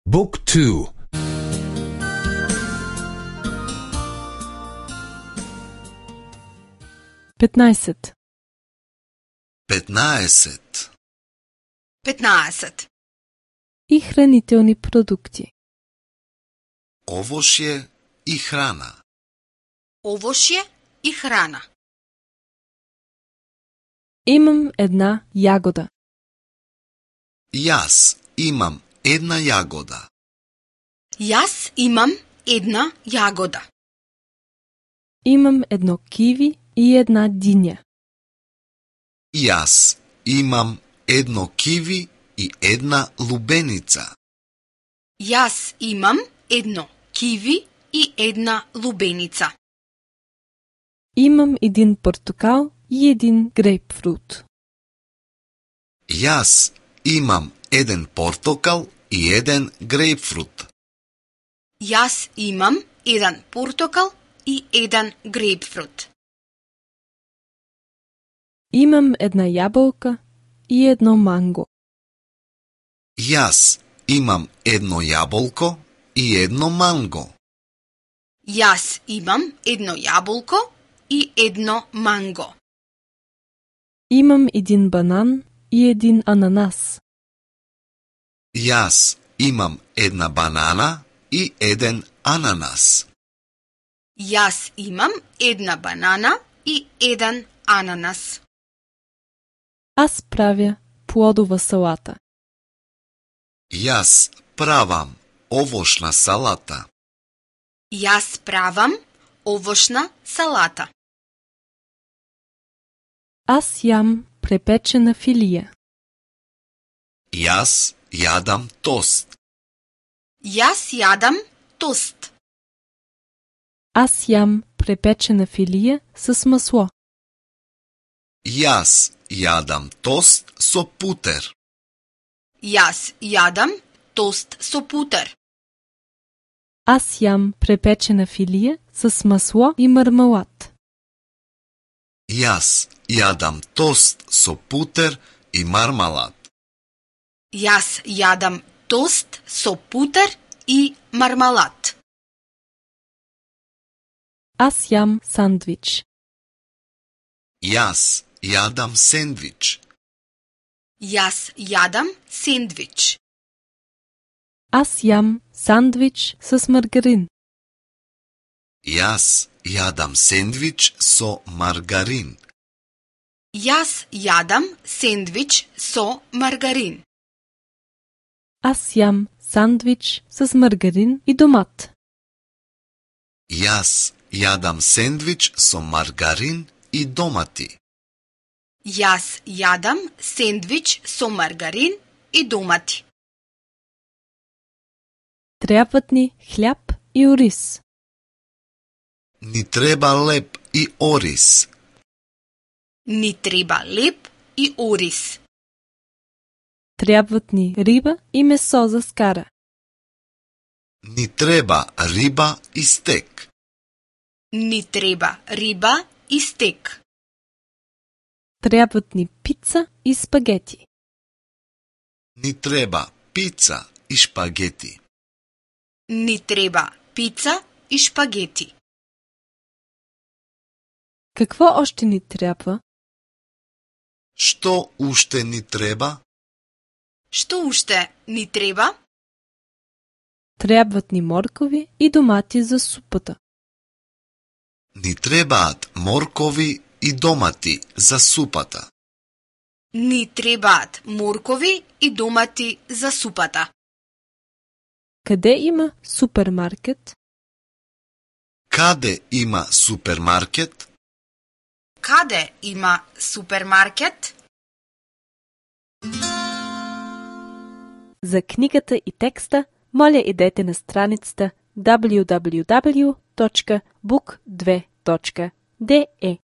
Book 2. 15. 15. 15. И хранителни продукти. Овошје и храна. Овошје и храна. Имам една јагода. Јас имам една јагода. Јас имам една јагода. Имам едно киви и една диња. Јас имам едно киви и една лубеница. Јас имам едно киви и една лубеница. Имам един портокал и един грейпфрут. Јас имам еден портокал и еден грейпфрут. Јас имам еден портокал и еден грейпфрут. Имам една јаболка и едно манго. Јас имам едно јаболко и едно манго. Јас имам едно јаболко и едно манго. Имам един банан и един ананас. Јас имам една банана и еден ананас. Јас имам една банана и еден ананас. Аз правя плодова салата. Јас правам овошна салата. Јас правам овошна салата. Аз јам препечена филија. Јас јадам тост. Јас јадам тост. Аз јам препечена филија с масло. Јас јадам тост со путер. Јас јадам тост со путер. Аз јам препечена филија с масло и мармелад. Јас јадам тост со путер и мармалад. Јас јадам тост со путер и мармалад. Аз јам сандвич. Јас јадам сендвич. Јас јадам сендвич. Аз јам сандвич с маргарин. Јас јадам сендвич со маргарин. Јас јадам сендвич со маргарин. Аз јам сандвич с маргарин и домат. Јас јадам сендвич со маргарин и домати. Јас јадам сендвич со маргарин и домати. Требат ни хляб и ориз. Ни треба леп и ориз. Ни треба леп и ориз. Требат ни риба и месо за скара. Ни треба риба и стек. Ни треба риба и стек. Требат ни пица и спагети. Ни треба пица и шпагети. Ни треба пица и шпагети. Какво още ни трябва? Што уште ни треба? Што уште ни треба? Требат ни моркови и домати за супата. Ни требаат моркови и домати за супата. Ни требаат моркови и домати за супата. Къде има супермаркет? Каде има супермаркет? Каде има супермаркет? За книгата и текста, моля идете на страницата www.book2.de.